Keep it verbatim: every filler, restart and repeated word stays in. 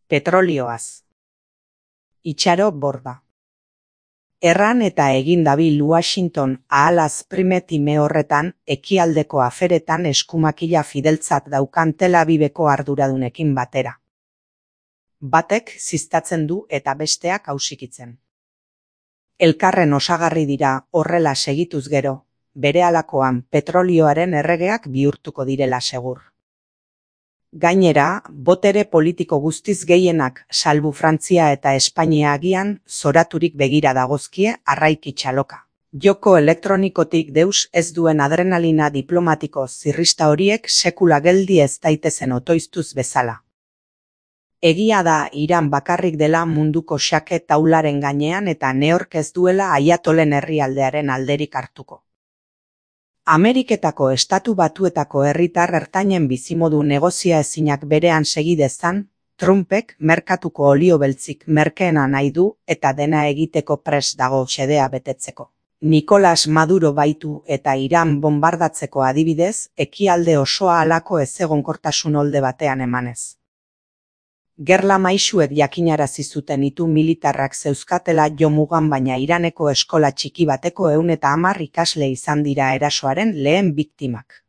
Petrolioaz. Itxaro borda. Erran eta egin dabil Washington ahalaz primetime horretan ekialdeko aferetan eskumakila fideltzat daukan Tel Aviveko arduradunekin batera. Batek ziztatzen du eta besteak hausikitzen. Elkarren osagarri dira horrela segituz gero, berehalakoan petrolioaren erregeak bihurtuko direla segur. Gainera, botere politiko guztiz gehienak salbu Frantzia eta Espainia agian zoraturik begira dagozkie arraiki txaloka. Joko elektronikotik deus ez duen adrenalina diplomatiko zirrista horiek sekula geldi ez daitezen otoiztuz bezala. Egia da Iran bakarrik dela munduko xake taularen gainean eta neork ez duela Aiatolen herrialdearen alderik hartuko. Ameriketako estatu batuetako herritar ertainen bizimodu negozia ezinak berean segidezan, Trumpek merkatuko olio beltzik merkeena nahi du eta dena egiteko pres dago xedea betetzeko. Nicolas Maduro baitu eta Iran bombardatzeko adibidez, ekialde osoa halako ezegonkortasun olde batean emanez. Gerla maisuek jakinarazi zuten itu militarrak zeuzkatela jomugan baina Iraneko eskola txiki bateko ehun eta hamar ikasle izan dira erasoaren lehen biktimak.